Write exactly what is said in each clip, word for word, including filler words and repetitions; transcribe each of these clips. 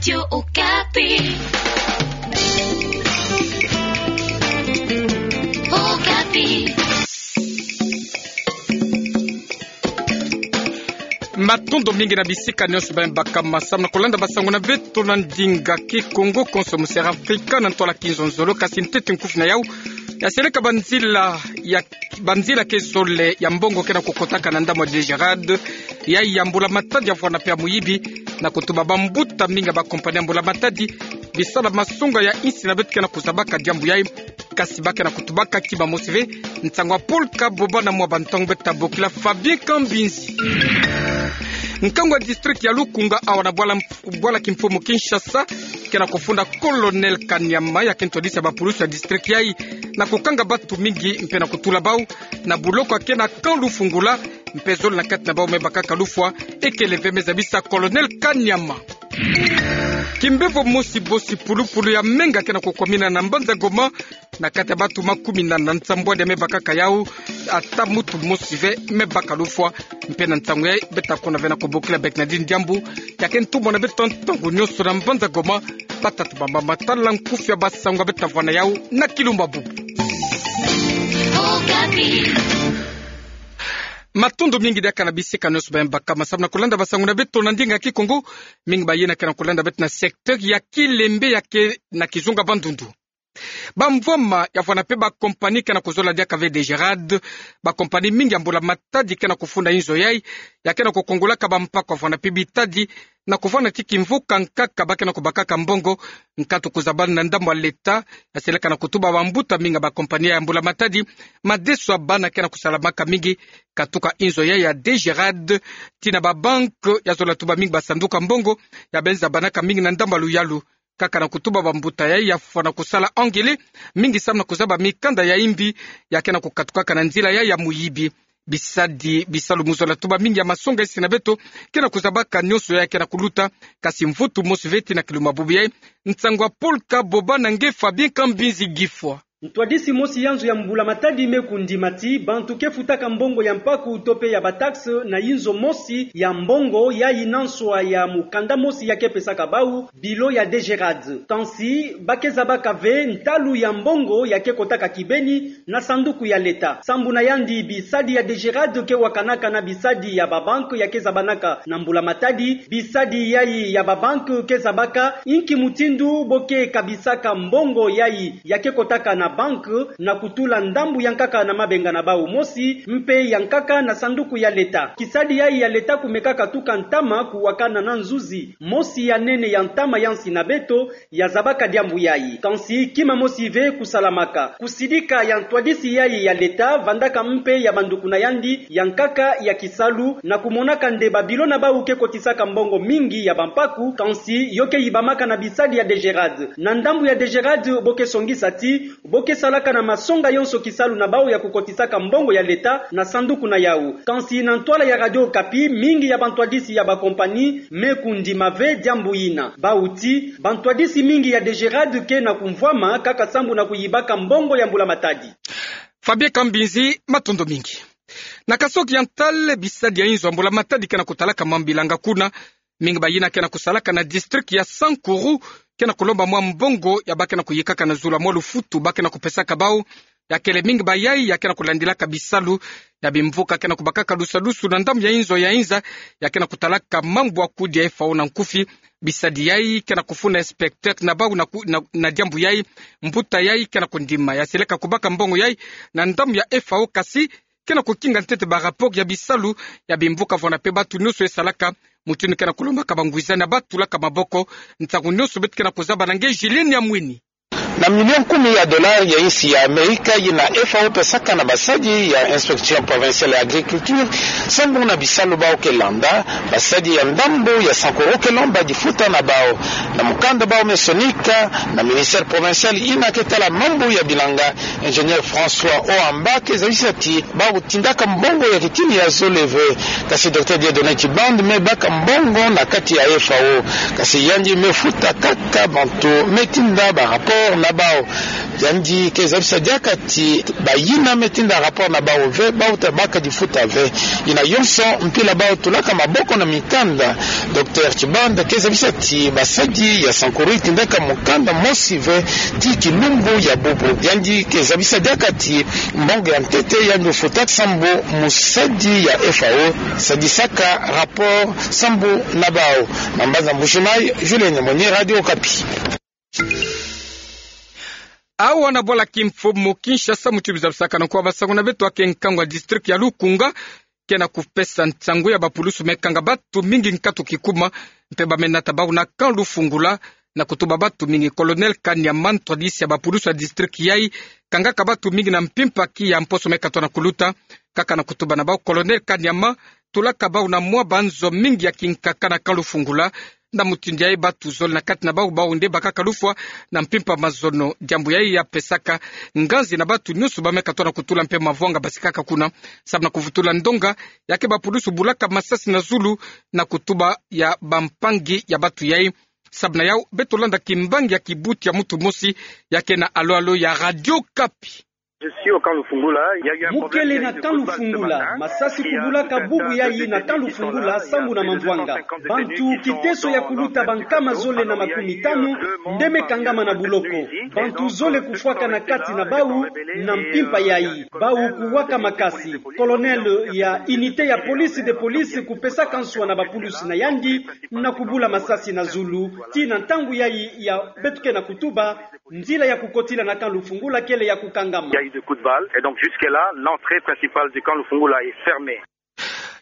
Radio Okapi. Okapi. Matondo mingi na bisika nyonso bamibaka masamu na kolanda basango na beto na ndinga Kikongo, konso mosera Afrika na ntwala kinzonzolo, kasi ntete nkufi na yau ya seleka banzila ya banzila ke zole ya mbongo ke na kukotaka na ndambu ya DGRAD, ya, ya mbula-matadi ya vwanda mpe ya muyibi, na kutuba bambuta mingi ya bakompani ya mbula-matadi, bisala masonga ya insi na beto ke na kuzabaka diambu yai, kasi ba ke na kutubaka kima mosi ve. Nsangu ya Paul Kaboba na mwa bantangu beto ta bokila Fabien Kambinzi. Nkangu ya district ya Lukunga awa na bwala mf-, bwala kimfumu Kinshasa, ke na kufunda Colonel Kanyama, ya ke ntwadisi ya bapulusu ya district yai, na kukanga batu mingi mpe na kutula bau na buloko ya ke na camp Lufungula, mpe zole na kati na bau me bakaka lufwa, ekele ve me zabisa Colonel Kanyama. Kimbevo mosi bosi pulupulu ya menga ke na kukwamina na mbanza Goma, na kati ya batu makumina na nsambwadi ya me bakaka yau, ata mutu mosi ve me baka lufwa. Mpe na nsangu yai beto ta kuna ve na kubokila Bernardine Diambu, ya ke ntumwa na beto ntangu nyonso na mbanza Goma, ba ta tubamba matala nkufi ya basango beto ta vwa na yau na kilumbu bubu. Matondo mingi diaka na bisika nyonso bamibaka masamu na kolanda basango na beto na ndinga Kikongo. Mingi bayina ke na kolanda beto na secteur ya Kilembe ya ke na kizunga Bandundu. Bamvwama ya vwanda mpe bakompani ke na kuzola diaka ve DGRAD, bakompani mingi ya mbula-matadi ke na kufunda inzo yai, ya ke na kukongolaka bampaku ya vwanda mpe bitadi, na kuvwanda ti kimvuka nkaka ba ke na kubakaka mbongo, nkatu kuzabana na ndambu ya leta, ya seleka na kutuba bambuta mingi ya bakompani ya mbula-matadi, madeso ya bana ke na kusalamaka mingi, katuka inzo yai ya DGRAD, tii na babanque ya zola tuba mingi basanduku ya mbongo, ya beno zabanaka mingi na ndambu ya luyalu. Kaka na kutuba bambuta yai ya fwana kusala angele, mingi samu na kuzaba mikanda ya imbi, ya ke na kukatukaka na nzila yai ya muyibi. Bisadi, bisalu mu zola tuba mingi ya masonga insi na beto, ke na kuzabaka nyonso yai ke na kuluta, kasi mvutu mosi ve tii na kilumbu bubu yai. Nsangu ya Paul Kaboba na nge Fabien Kambinzi Gifwa. Ntwadisi mosi ya nzo ya mbula-matadi me kundima ti bantu ke futaka mbongo ya mpaku to mpe ya bataxe na inzo mosi ya mbongo yai na nswa ya mukanda mosi ya ke pesaka bau, bilo ya DGRAD. Kansi ba ke zabaka ve ntalu ya mbongo ya ke kotaka kibeni na sanduku ya leta. Sambu na yandi, bisadi ya DGRAD ke wakanaka na bisadi ya babanque ya ke zabanaka na mbula-matadi. Bisadi yai ya babanque ke zabaka inki mutindu bo ke kabisaka mbongo yai ya ke kotaka na banque, na kutula ndambu ya nkaka na mabenga na bau mosi, mpe ya nkaka na sanduku ya leta. Kisadi yai ya leta kumekaka tuka ntama kuwakana na nzuzi mosi ya nene ya ntama ya nsi na beto, ya zabaka diambu yai. Kansi kima mosi ve kusalamaka. Kusidika ya ntwadisi yai ya leta, vandaka mpe ya banduku na yandi ya nkaka ya kisalu, na kumonaka nde babilo na bau ke kotisaka mbongo mingi ya bampaku, kansi yo ke yibamaka na bisadi ya DGRAD. Na ndambu ya DGRAD, bo ke songisa ti bo ke salaka na masonga yonso kisalu na bau ya kukotisaka mbongo ya leta na sanduku na yau. Kansi na ntwala ya Radio Okapi, mingi ya bantwadisi ya bakompani me kundima ve diambu yina. Bau ti, bantwadisi mingi ya DGRAD ke na kumvwama kaka sambu na kuyibaka mbongo ya mbula-matadi. Fabien Kambinzi, matondo mingi. Na Kasaï Oriental, bisadi ya inzo ya mbula-matadi ke na kutalaka mambu ilanga kuna. Mingi bayina ke na kusalaka na district ya Sankuru ke na kulomba mwa mbongo ya ba ke na kuyikaka na zulu ya mwa lufutu ba ke na kupesaka bau. Ya kele mingi bayai ya ke na kulandilaka bisalu ya bimvuka ke na kubakaka lusadusu na ndambu ya inzo ya inza ya ke na kutalaka mambu ya kudi ya F A O na nkufi. Bisadi yai ke na kufunda inspecteur na bau na ku-, na, na diambu yai, mbuta yai ke na kundima ya seleka kubaka mbongo yai na ndambu ya F A O, kasi ke na kukinga ntete ba rapport ya bisalu ya bimvuka vwanda mpe bantu nyonso ya salaka, mutindu ke na kulombaka bangwiza na ba tulaka maboko. Ntangu nyonso beto ke na kuzaba na nge Julienne Yamwini. Na million kumi ya dollars ya insi ya Amerika yina F A O pesaka na basadi ya Inspection Provinciale ya Agriculture, sambu na bisalu bau ke landa, basadi ya ndambu ya Sankuru ke lomba difuta na bau. Na mukanda bau me sonika na ministère provincial yina ke tala mambu ya bilanga, ingénieur François Oamba ke zabisa ti bau tindaka mbongo ya kitini ya zole ve. Kasi Docteur Dieudonné Tshibanda me baka mbongo na kati ya F A O. Kasi yandi me futa kaka bantu me tinda ba rapport na bau. Yandi ke zabisa diaka ti bayina me tinda rapport na bawu ve, bawu tabaka difuta ve. Yina yonso mpila bawu tulaka maboko na mikanda. Docteur Tshibanda ke zabisa ti basadi ya Sankuru itindaka mukanda mosi ve ti kilumbu ya bubu. Yandi ke zabisa diaka ti mbongo ya ntete yandi ofutaka sambu musadi ya F A O sadisaka rapport sambu na bawu. Na mbanza Mbujimayi, Julien Nyamwenyi, Radio Okapi. Awa na bwala kimfumu Kinshasa, muti bizabisakana kwa basangu na beto, ake nkangu ya district ya Lukunga ke na kupesa nsangu ya bapulusu me kanga batu mingi nkatu kikuma, mpe ba me nata bawu na camp Lufungula, na kutuba batu mingi. Colonel Kanyama, ntwadisi ya bapulusu ya district yayi, kangaka batu mingi na mpimpa ki ya mposo me katona kuluta, kaka na kutuba na bawu Colonel Kanyama, tulaka bawu na mwa banzo mingi ya kinkaka na camp Lufungula. Na mutindu yayi batu zole na kati na bawu, bawu nde bakaka lufwa na mpimpa mazono. Diambu yayi ya pesaka nganzi na batu nyonso ba me katona kutula mpe mavwanga basikaka kuna, sababu na kuvutula ndonga ya ke bapulusu bulaka masasi na zulu na kutuba ya bampangi ya batu yayi. Sababu na yawu, beto landa kimbangi ya kibuti ya mutu mosi ya ke na alo-alo ya Radio Okapi. Je suis au camp Lufungula. Il y a eu un problème. Mu kele na camp Lufungula, masasi kubulaka bubu yayi na camp Lufungula, sambu na mamvwanga. Bantu kiteso ya kuluta bankama zole na makumi tanu nde me kangama na buloko. Bantu zole kufwaka na kati na bawu na mpimpa yayi. Bawu kuwaka makasi. Colonel ya unité ya police de police kupesaka nswa na bapulusu na yandi na kubula masasi na zulu. Tii na ntangu yayi ya beto ke na kutuba, nzila ya kukotila na camp Lufungula kele ya kukangama. Il y a eu des coups de balle. Et donc, jusque-là, l'entrée principale du camp Lufungula est fermée.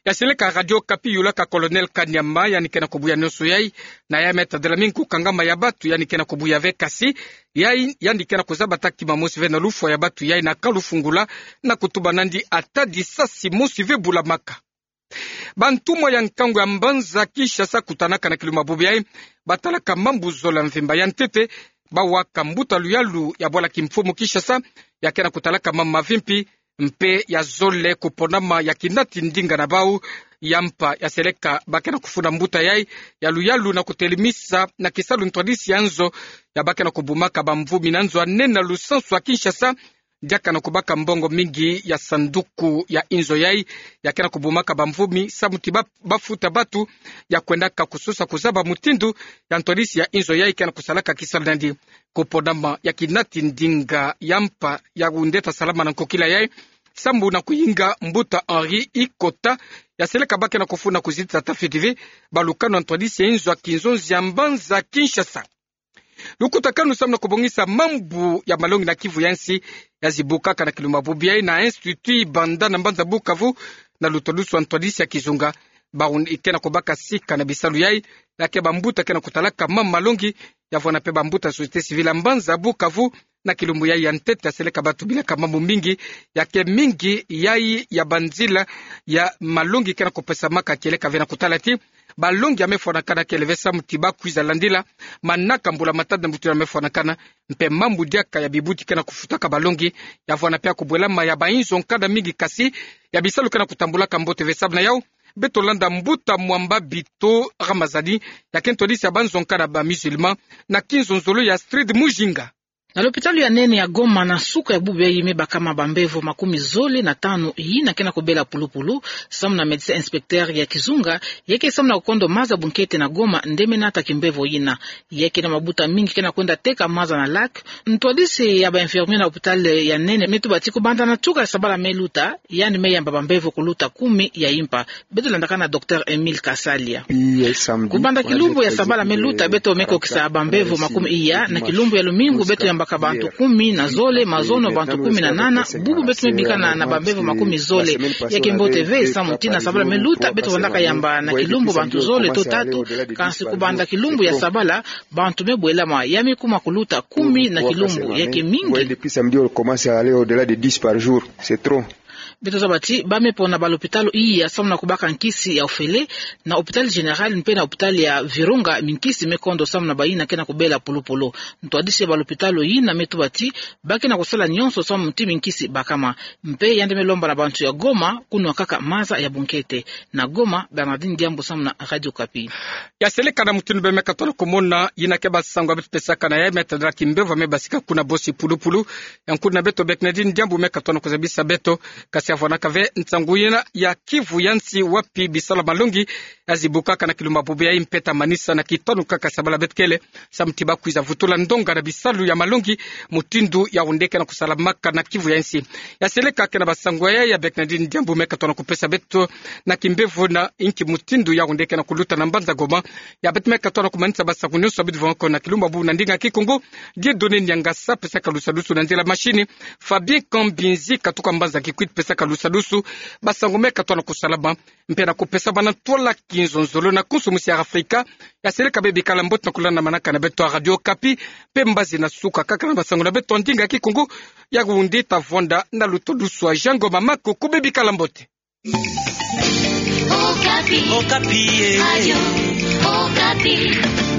Ya seleka Radio Okapi yulaka Colonel Kanyama, yandi ke na kubuya nyonso yayi, na ya me tadela mingi kukangama ya batu, yandi ke na kubuya ve, kasi yayi, yandi ke na kuzaba ta kima mosi ve na lufwa ya batu yayi na camp Lufungula, na kutuba nandi ata disasi mosi ve bulamaka. Bantumwa ya nkangu ya mbanza Kinshasa kutanaka na kilumbu ya bubu yayi, batalaka mambu zole ya mvimba. Ya ntete, bawaka mbuta luyalu ya bwala kimfumu Kinshasa, ya ke na kutalaka mambu mavimpi, mpe ya zole kuponama ya kinati ndinga na bawu. Ya mpa ya seleka ba ke na kufunda mbuta yayi ya luyalu na kutelemisa na kisalu ntwadisi ya nzo ya ba ke na kubumaka bamvumi na nzo ya nene na lusansu ya Kinshasa, diaka na kubaka mbongo mingi ya sanduku ya inzo yayi, ya ke na kubumaka bamvumi, samu ti ba, bafuta batu ya kwendaka kusosa kuzaba mutindu ya ntwadisi ya inzo yayi ke na kusalaka kisalu nandi. Kuponama ya kinati ndinga ya mpa ya undeta salama na nkokila yayi, sambu na kuyinga mbuta Henri Ikota, ya seleka ba ke na kufunda kuzitisa ta fiti ve balukanu ya ntwadisi ya inzo ya kinzonzi ya mbanza Kinshasa. Lukutakanu samu na kubongisa mambu ya malongi na Kivu ya nsi ya zibukaka na kilumbu ya bubu yayi na Institut Ibanda na mbanza Bukavu, na lutwadusu ya ntwadisi ya kizunga. Bawu ke na kubaka sika na bisalu yayi, ya ke bambuta ke na kutalaka mambu malongi, ya vwanda mpe bambuta société civile ya mbanza Bukavu, na kilumbu yayi ya ntete ya seleka batu bilaka mambu mingi, ya ke mingi yayi ya banzila ya malongi ke na kupesamaka kieleka ve na kutala ti balongi ya me fwanakana kele ve samu ti ba kwiza landila manaka mbula matatu na butu ya me fwanakana, mpe mambu diaka ya bibuti ke na kufutaka balongi, ya vwanda mpe ya kubwelama ya bainzo nkanda mingi, kasi ya bisalu ke na kutambulaka mbote ve. Samu na yawu, beto landa mbuta Mwamba Bito Ramazani, ya ke ntwadisi ya banzo nkanda ba musulman, na kinzonzolo ya Astrid Mujinga. Na lopitalo ya nene ya Goma, na suka ya bubu yayi me bakama bambevo makumi zole na tanu yina ke na kubela pulupulu, samu na médecin inspecteur ya kizunga, ya ke samu na kukondo maza bunkete na Goma nde me nata kimbevo yina. Ya ke na mabuta mingi ke na kwenda teka maza na lac. Ntwadisi ya ba infirmier na lopitalo ya nene me tuba ti kubanda na tuka ya sabala me luta, yandi me yamba bambevo kuluta kumi ya impa. Beto landaka na docteur Emile Kasalia. Kubanda kilumbu ya sabala me luta, beto me kokisa bambevo makumi iya. Na kilumbu ya lumingu beto yambaka bantu kumi na zole, mazono bantu kumi na nana. Bubu beto me bikana na bambevo makumi zole. Ya ke mbote ve, samu ti na sabala me luta beto vandaka yamba na kilumbu bantu zole to tatu. Kansi kubanda kilumbu ya sabala, bantu me bwelama, ya me kuma kuluta kumi na kilumbu, ya ke mingi. Beto zaba ti ba me pona ba lopitalo iya samu na kubaka nkisi ya ofele, na hôpital général mpe na hôpital ya Virunga, minkisi me kondo samu na bayina ke na kubela pulupulu. Ntwadisi ya ba lopitalo yina me tuba ti ba ke na kusala nyonso samu ti minkisi bakama. Mpe yandi me lomba na bantu ya Goma kunwa kaka maza ya bunkete. Na Goma, Bernardine Diambu samu na Radio Okapi. Ya seleka na mutindu bê me katona kumona, yina ke ba sango ya beto pesaka na ya me tadala kimbevo me basika kuna bosi pulupulu. Ya nkulu na beto Bernardine Diambu me katona kuzabisa beto. Kasi ya vwanaka ve nsangu yina ya kivu ya nsi wapi bisalu ya malongi ya zibukaka na kilumbu bubu ya impeta manisa na kitonu kaka sabala beto kele. Samu ti ba kwiza vutula ndonga na bisalu ya malongi, mutindu ya wundeke na kusalamaka na kivu ya nsi. Ya seleka ke na ba sango ya ya Bernardine Diambu me katona kupesa beto na kimbevo na inki mutindu ya wundeke na kuluta na mbanza Goma. Ya beto me katona kumanisa ba sango nyonso ya beto vwanga ko na kilumbu bubu na ndinga Kikongo. Dieudonné Niangasa pesaka lusadusu na nzila machine. Fabien Kambinzi katuka mbanza Kikwit pesaka lusadusu. Ba sango me katona kusalama mpe na kupesa bana ntwala kinzonzolo na konso musi ya Afrika. Ya seleka bê bikala mbote na kulanda manaka na beto ya Radio Okapi. Mpe mbazi na suka kaka na ba sango na beto ya ndinga Kikongo. Ya kundi ta vwanda na luto dusu ya Jean Ngoma Makuku, bê bikala mbote. Okapi. Okapi, eh. Radio Okapi.